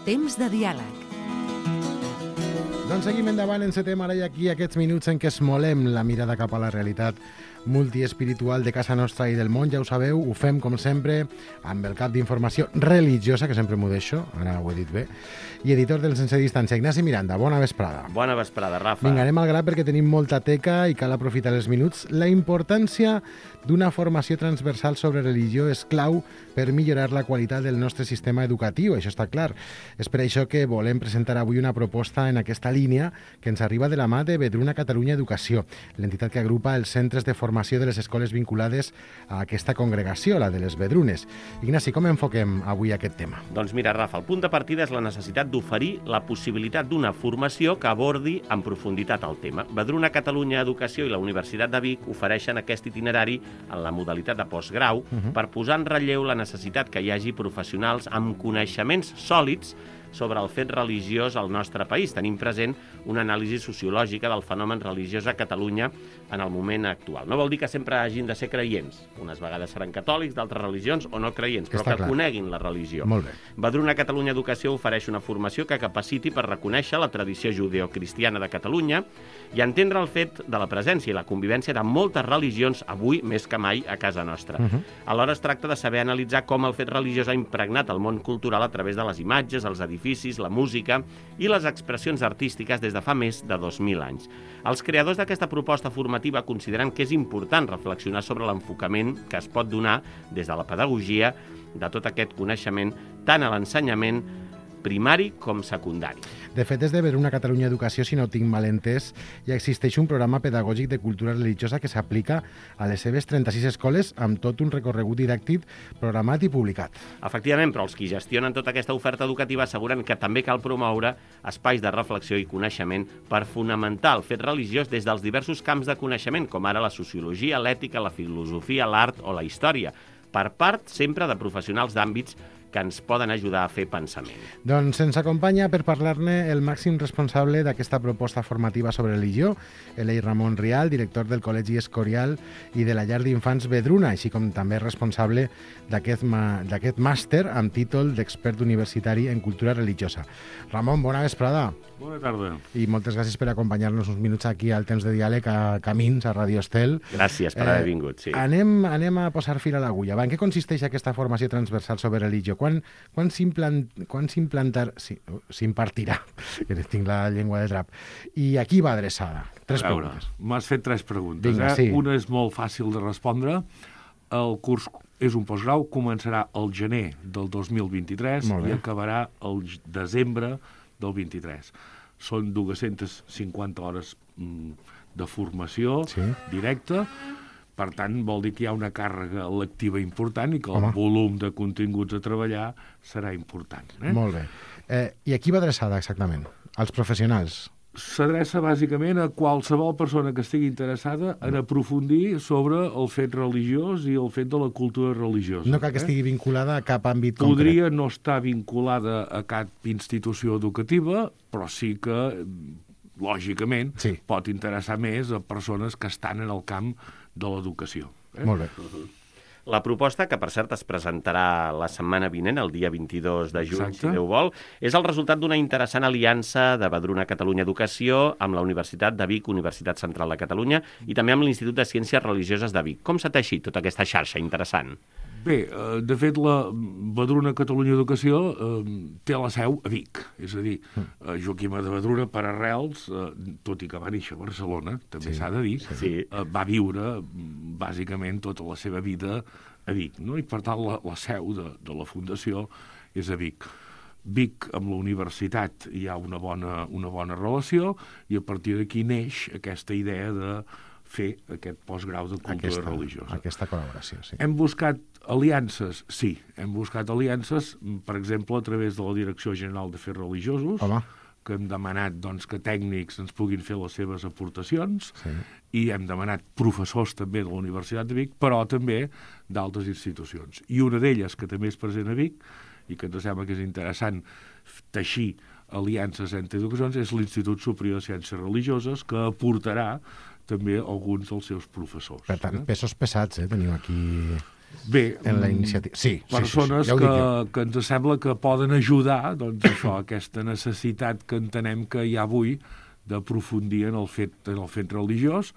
Temps de diàleg. Doncs seguim endavant, encetem ara i aquí aquests minuts en què esmolem la mirada cap a la realitat multiespiritual de casa nostra i del món. Ja ho sabeu, ho fem com sempre amb el cap d'informació religiosa, que sempre m'ho deixo, ara ho he dit bé, i editor del Sense Distància, Ignasi Miranda. Bona vesprada. Bona vesprada, Rafa. Vinga, anem al gra perquè tenim molta teca i cal aprofitar els minuts. La importància d'una formació transversal sobre religió és clau per millorar la qualitat del nostre sistema educatiu, això està clar. És per això que volem presentar avui una proposta en aquesta línia que ens arriba de la mà de Vedruna Catalunya Educació, l'entitat que agrupa els centres de formació de les escoles vinculades a aquesta congregació, la de les Vedrunes. Ignasi, com enfoquem avui aquest tema? Doncs mira, Rafa, el punt de partida és la necessitat d'oferir la possibilitat d'una formació que abordi en profunditat el tema. Vedruna Catalunya Educació i la Universitat de Vic ofereixen aquest itinerari en la modalitat de postgrau per posar en relleu la necessitat que hi hagi professionals amb coneixements sòlids sobre el fet religiós al nostre país. Tenim present una anàlisi sociològica del fenomen religiós a Catalunya en el moment actual. No vol dir que sempre hagin de ser creients. Unes vegades seran catòlics, d'altres religions o no creients, però que coneguin la religió. Molt bé. Vedruna Catalunya Educació ofereix una formació que capaciti per reconèixer la tradició judeocristiana de Catalunya i entendre el fet de la presència i la convivència de moltes religions avui més que mai a casa nostra. Alhora es tracta de saber analitzar com el fet religiós ha impregnat el món cultural a través de les imatges, els edificis, la música i les expressions artístiques des de fa més de 2.000 anys. Els creadors d'aquesta proposta formativa consideren que és important reflexionar sobre l'enfocament que es pot donar des de la pedagogia de tot aquest coneixement tant a l'ensenyament primari com secundari. De fet, des de Vedruna Catalunya Educació, si no ho tinc mal entès, ja existeix un programa pedagògic de cultura religiosa que s'aplica a les seves 36 escoles amb tot un recorregut didàctic programat i publicat. Efectivament, però els qui gestionen tota aquesta oferta educativa asseguren que també cal promoure espais de reflexió i coneixement per fonamentar el fet religiós des dels diversos camps de coneixement, com ara la sociologia, l'ètica, la filosofia, l'art o la història, per part sempre de professionals d'àmbits que ens poden ajudar a fer pensament. Doncs ens acompanya per parlar-ne el màxim responsable d'aquesta proposta formativa sobre religió, Elei Ramon Rial, director del Col·legi Escorial i de la llar d'infants Vedruna, així com també responsable d'aquest màster amb títol d'expert universitari en cultura religiosa. Ramon, bona vesprada. Bona tarda. I moltes gràcies per acompanyar-nos uns minuts aquí al Temps de Diàleg a Camins, a Radio Estel. Gràcies per haver vingut, sí. Anem a posar fil a l'agulla. En què consisteix aquesta formació transversal sobre religió? Quan s'impartirà? Que tinc la llengua de drap. I a qui va adreçada? Tres preguntes. M'has fet tres preguntes. Vinga, sí. Una és molt fàcil de respondre. El curs és un postgrau, començarà el gener del 2023 i acabarà el desembre del 23. Són 250 hores de formació directa. Per tant, vol dir que hi ha una càrrega lectiva important i que el volum de continguts a treballar serà important. Molt bé. I a qui va adreçada exactament? Als professionals? S'adreça bàsicament a qualsevol persona que estigui interessada en aprofundir sobre el fet religiós i el fet de la cultura religiosa. No cal que estigui vinculada a cap àmbit concret. Podria no estar vinculada a cap institució educativa, però sí que, lògicament, pot interessar més a persones que estan en el camp de l'educació. Molt bé. La proposta, que per cert es presentarà la setmana vinent, el dia 22 de juny, si Déu vol, és el resultat d'una interessant aliança de Vedruna Catalunya Educació amb la Universitat de Vic, Universitat Central de Catalunya, i també amb l'Institut de Ciències Religioses de Vic. Com s'ha teixit tota aquesta xarxa interessant? Bé, de fet, la Vedruna Catalunya Educació té la seu a Vic. És a dir, Joaquima de Vedruna, per arrels, tot i que va néixer a Barcelona, també s'ha de dir, va viure, bàsicament, tota la seva vida a Vic, no? I, per tant, la seu de la Fundació és a Vic. Vic, amb la universitat, hi ha una bona relació i a partir d'aquí neix aquesta idea de fer aquest postgrau de cultura religiosa. Aquesta col·laboració, sí. Hem buscat aliances? Sí, hem buscat aliances, per exemple, a través de la Direcció General d'Afers Religiosos, que hem demanat que tècnics ens puguin fer les seves aportacions i hem demanat professors també de la Universitat de Vic, però també d'altres institucions. I una d'elles, que també és present a Vic, i que ens sembla que és interessant teixir aliances entre educacions, és l'Institut Superior de Ciències Religioses, que aportarà també alguns dels seus professors. Per tant, pesos pesats, teniu aquí Bé, en la iniciativa. Sí, persones ja ho dic jo. que ens sembla que poden ajudar, doncs això, aquesta necessitat que entenem que hi ha avui d'aprofundir en el fet religiós,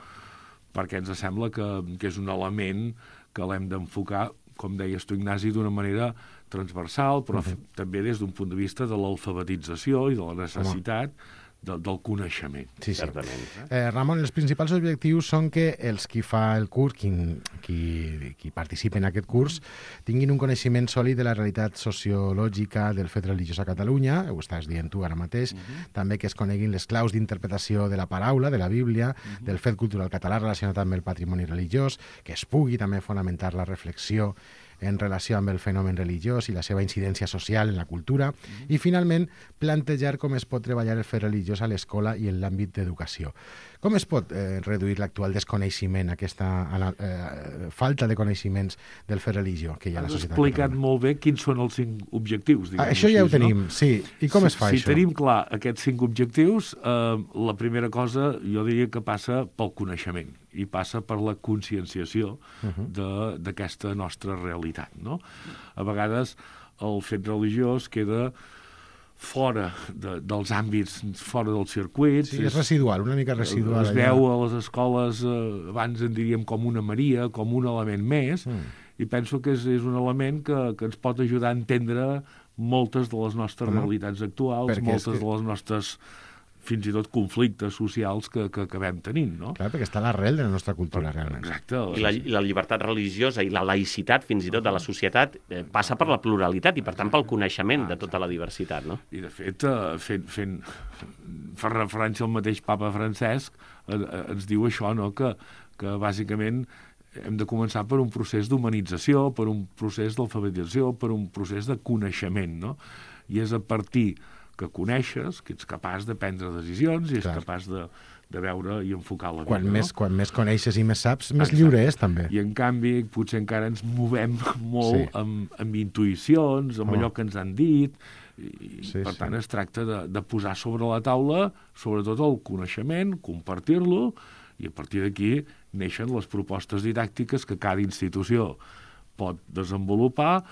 perquè ens sembla que és un element que l'hem d'enfocar, com deies tu, Ignasi, d'una manera transversal, però també des d'un punt de vista de l'alfabetització i de la necessitat del coneixement. Sí. Certament. Ramon, els principals objectius són que els qui fa el curs, qui participa en aquest curs, tinguin un coneixement sòlid de la realitat sociològica del fet religiós a Catalunya, ho estàs dient tu ara mateix, també que es coneguin les claus d'interpretació de la paraula, de la Bíblia, del fet cultural català relacionat amb el patrimoni religiós, que es pugui també fonamentar la reflexió en relació amb el fenomen religiós i la seva incidència social en la cultura, i finalment plantejar com es pot treballar el fet religiós a l'escola i en l'àmbit d'educació. Com es pot reduir l'actual desconeixement, aquesta falta de coneixements del fet religió que hi ha a la societat? Has explicat molt bé quins són els 5 objectius. Això ja ho tenim, sí. I com es fa això? Si tenim clar aquests 5 objectius, la primera cosa jo diria que passa pel coneixement i passa per la conscienciació d'aquesta nostra realitat, no? A vegades el fet religiós queda fora dels àmbits, fora dels circuits. Sí, és residual, una mica residual. Es veu a les escoles, abans en diríem com una Maria, com un element més, i penso que és un element que ens pot ajudar a entendre moltes de les nostres realitats actuals, moltes de les nostres fins i tot conflictes socials que acabem tenint, no? Clar, perquè està a l'arrel de la nostra cultura, realment. Exacte. I la llibertat religiosa i la laïcitat, fins i tot, de la societat, passa per la pluralitat i, per tant, pel coneixement de tota la diversitat, no? I, de fet, fent referència al mateix papa Francesc, ens diu això, no?, que bàsicament hem de començar per un procés d'humanització, per un procés d'alfabetització, per un procés de coneixement, no? I és a partir que coneixes, que ets capaç de prendre decisions i ets capaç de veure i enfocar la vida. Quan més coneixes i més saps, més lliure és, també. I, en canvi, potser encara ens movem molt amb intuïcions, amb allò que ens han dit, i per tant es tracta de posar sobre la taula, sobretot el coneixement, compartir-lo, i a partir d'aquí neixen les propostes didàctiques que cada institució pot desenvolupar,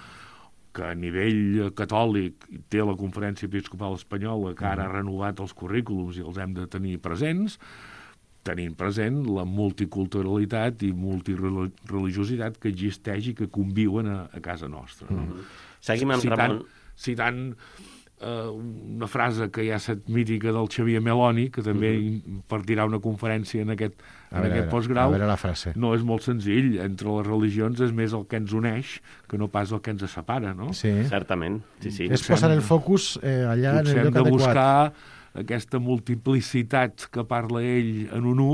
que a nivell catòlic té la Conferència Episcopal Espanyola, que ara ha renovat els currículums i els hem de tenir presents, tenint present la multiculturalitat i multireligiositat que existeix i que conviuen a casa nostra. No? Seguim amb Ramon. Citant una frase que ja és mítica del Xavier Meloni, que també impartirà una conferència en aquest postgrau. A veure la frase. No és molt senzill. Entre les religions és més el que ens uneix que no pas el que ens separa, no? Sí. Certament, sí. És posar el focus allà en el lloc adequat. Potser hem de buscar aquesta multiplicitat que parla ell en un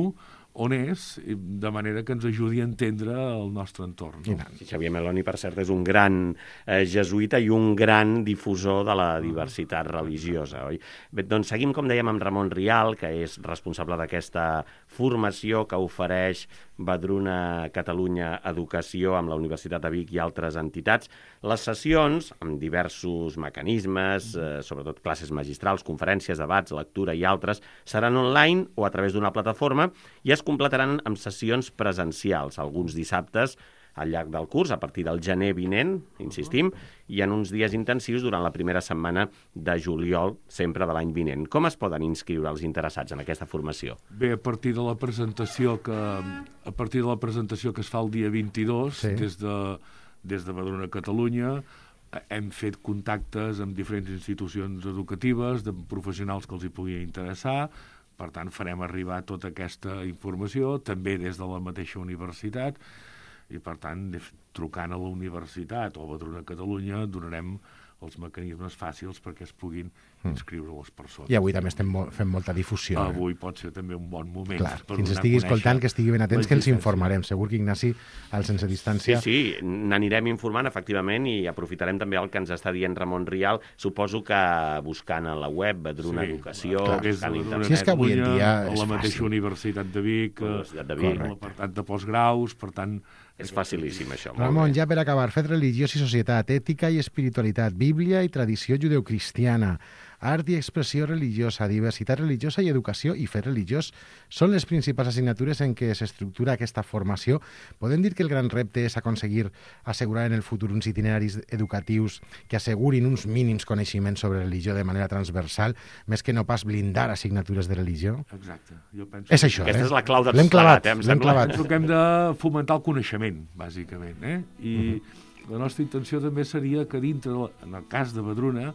on és, de manera que ens ajudi a entendre el nostre entorn. No? Xavier Meloni, per cert, és un gran jesuïta i un gran difusor de la diversitat religiosa, oi? Bé, doncs seguim, com dèiem, amb Ramon Rial, que és responsable d'aquesta formació que ofereix Vedruna Catalunya Educació amb la Universitat de Vic i altres entitats. Les sessions, amb diversos mecanismes, sobretot classes magistrals, conferències, debats, lectura i altres, seran online o a través d'una plataforma i es completaran amb sessions presencials, alguns dissabtes al llarg del curs, a partir del gener vinent, insistim, i en uns dies intensius durant la primera setmana de juliol, sempre de l'any vinent. Com es poden inscriure els interessats en aquesta formació? Bé, a partir de la presentació que es fa el dia 22, des de Vedruna Catalunya, hem fet contactes amb diferents institucions educatives, de professionals que els hi pugui interessar. Per tant, farem arribar tota aquesta informació, també des de la mateixa universitat, i per tant, trucant a la universitat o a Vedruna Catalunya, donarem els mecanismes fàcils perquè es puguin inscriure les persones. I avui també estem fent molta difusió. Avui pot ser també un bon moment. Clar, qui ens estigui escoltant, que estigui ben atents, que ens informarem. Segur que Ignasi, al Sense Distància... Sí, n'anirem informant, efectivament, i aprofitarem també el que ens està dient Ramon Rial. Suposo que buscant a la web Vedruna Educació... Si és que avui en dia és fàcil. La mateixa Universitat de Vic, l'apartat de postgraus, per tant... És facilíssim, això. Ramon, ja per acabar, fet religiós i societat, ètica i espiritualitat, Bíblia i tradició judeocristiana. Art i expressió religiosa, diversitat religiosa i educació i fet religiós són les principals assignatures en què s'estructura aquesta formació. Podem dir que el gran repte és aconseguir assegurar en el futur uns itineraris educatius que assegurin uns mínims coneixements sobre religió de manera transversal, més que no pas blindar assignatures de religió? Exacte. Jo penso És això, Aquesta és la clau de L'hem clavat, em l'hem sembla. clavat. Penso que hem de fomentar el coneixement, bàsicament, I la nostra intenció també seria que dintre, en el cas de Vedruna,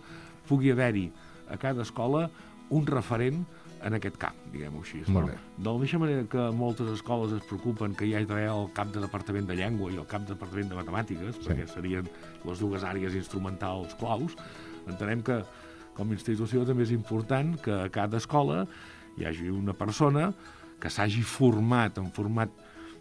pugui haver-hi a cada escola un referent en aquest camp, diguem-ho així. Molt bé. De la mateixa manera que moltes escoles es preocupen que hi hagi d'haver el cap de departament de llengua i el cap de departament de matemàtiques, perquè serien les dues àrees instrumentals claus, entenem que com a institució també és important que a cada escola hi hagi una persona que s'hagi format en format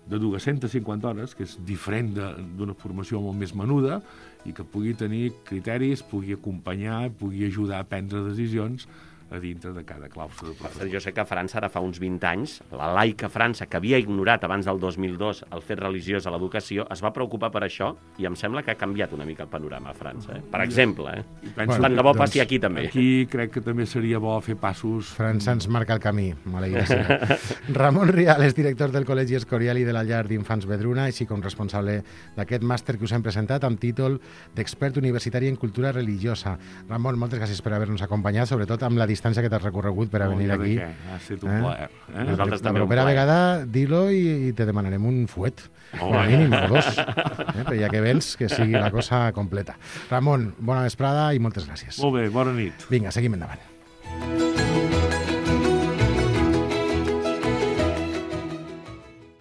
de 250 hores, que és diferent d'una formació molt més menuda, i que pugui tenir criteris, pugui acompanyar, pugui ajudar a prendre decisions a dintre de cada claustre de professor. Jo sé que a França, ara fa uns 20 anys, la laica França, que havia ignorat abans del 2002 el fet religiós a l'educació, es va preocupar per això i em sembla que ha canviat una mica el panorama a França. Per exemple, I penso tant de bo que, passi aquí també. Aquí crec que també seria bo fer passos... França ens marca el camí, maleïda sigui. Ramon Rial és director del Col·legi Escorial i de la Llar d'Infants Vedruna, així com responsable d'aquest màster que us hem presentat amb títol d'expert universitari en cultura religiosa. Ramon, moltes gràcies per haver-nos acompanyat, sobretot amb la distància que t'has recorregut per a venir aquí. Ha estat un plaer. Nosaltres La també un propera plaer. vegada, dilo i te demanarem un fuet, com a mínim, o dos. Però ja que vens, que sigui la cosa completa. Ramon, bona vesprada i moltes gràcies. Molt bé, bona nit. Vinga, seguim endavant.